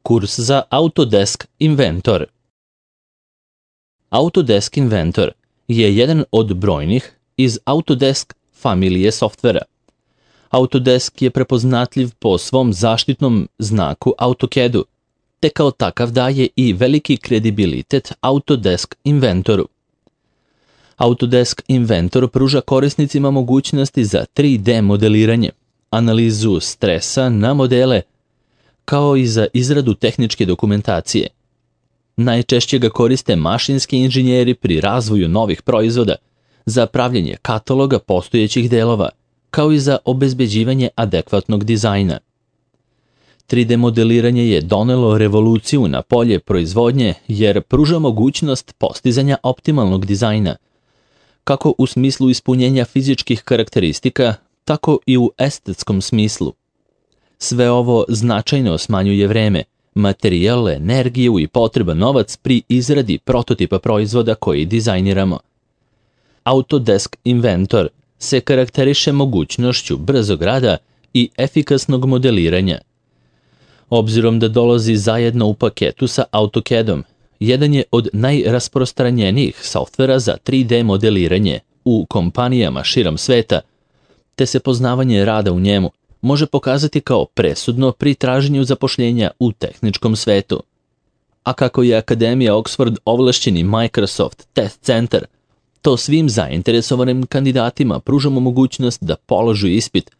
Kurs za Autodesk Inventor. Autodesk Inventor je jedan od brojnih iz Autodesk familije softvera. Autodesk je prepoznatljiv po svom zaštitnom znaku AutoCAD-u, te kao takav daje i veliki kredibilitet Autodesk Inventoru. Autodesk Inventor pruža korisnicima mogućnosti za 3D modeliranje, analizu stresa na modele, kao i za izradu tehničke dokumentacije. Najčešće ga koriste mašinski inženjeri pri razvoju novih proizvoda, za pravljenje kataloga postojećih delova, kao i za obezbeđivanje adekvatnog dizajna. 3D modeliranje je donelo revoluciju na polje proizvodnje jer pruža mogućnost postizanja optimalnog dizajna, kako u smislu ispunjenja fizičkih karakteristika, tako i u estetskom smislu. Sve ovo značajno smanjuje vreme, materijal, energiju i potreban novac pri izradi prototipa proizvoda koji dizajniramo. Autodesk Inventor se karakteriše mogućnošću brzog rada i efikasnog modeliranja. Obzirom da dolazi zajedno u paketu sa AutoCAD-om, jedan je od najrasprostranjenijih softvera za 3D modeliranje u kompanijama širom sveta, te se poznavanje rada u njemu može pokazati kao presudno pri traženju zapošljenja u tehničkom svetu. A kako je Akademija Oxford ovlašćeni Microsoft Test Center, to svim zainteresovanim kandidatima pružamo mogućnost da položu ispit,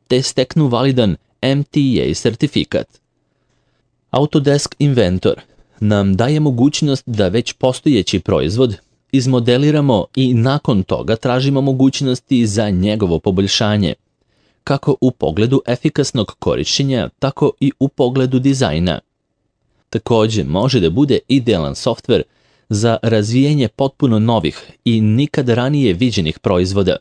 te steknu validan MTA sertifikat. Autodesk Inventor nam daje mogućnost da već postojeći proizvod izmodeliramo i nakon toga tražimo mogućnosti za njegovo poboljšanje, kako u pogledu efikasnog korišćenja, tako i u pogledu dizajna. Također može da bude idealan softver za razvijanje potpuno novih i nikad ranije viđenih proizvoda.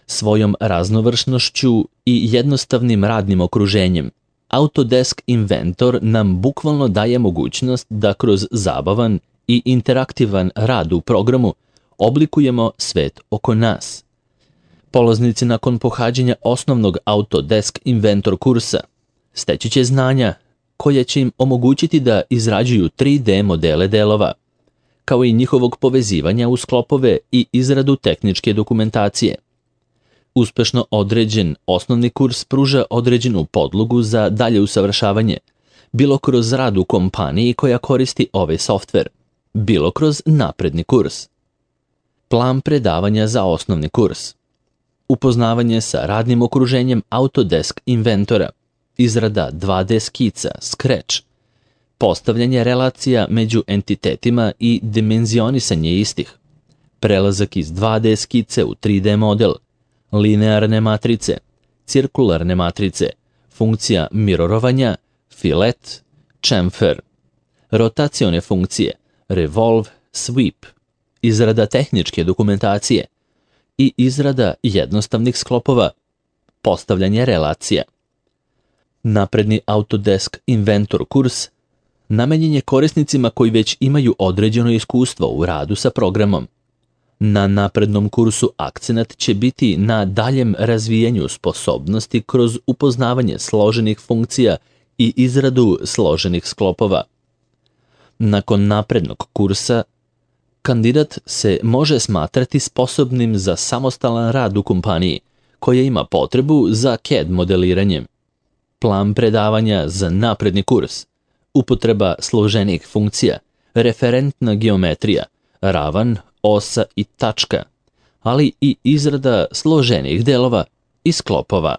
Svojom raznovrsnošću i jednostavnim radnim okruženjem, Autodesk Inventor nam bukvalno daje mogućnost da kroz zabavan i interaktivan rad u programu oblikujemo svet oko nas. Polaznici nakon pohađanja osnovnog Autodesk Inventor kursa steći će znanja koje će im omogućiti da izrađuju 3D modele delova, kao i njihovog povezivanja u sklopove i izradu tehničke dokumentacije. Uspešno određen osnovni kurs pruža određenu podlogu za dalje usavršavanje, bilo kroz rad u kompaniji koja koristi ovaj softver, bilo kroz napredni kurs. Plan predavanja za osnovni kurs. Upoznavanje sa radnim okruženjem Autodesk Inventora, izrada 2D skica, Scratch, postavljanje relacija među entitetima i dimenzionisanje istih, prelazak iz 2D skice u 3D model, linearne matrice, cirkularne matrice, funkcija mirorovanja, filet, chamfer, rotacione funkcije, revolve, sweep, izrada tehničke dokumentacije i izrada jednostavnih sklopova, postavljanje relacija. Napredni Autodesk Inventor kurs namenjen je korisnicima koji već imaju određeno iskustvo u radu sa programom. Na naprednom kursu akcenat će biti na daljem razvijanju sposobnosti kroz upoznavanje složenih funkcija i izradu složenih sklopova. Nakon naprednog kursa, kandidat se može smatrati sposobnim za samostalan rad u kompaniji koja ima potrebu za CAD modeliranjem. Plan predavanja za napredni kurs, upotreba složenih funkcija, referentna geometrija, ravan, osa i tačka, ali i izrada složenih delova i sklopova.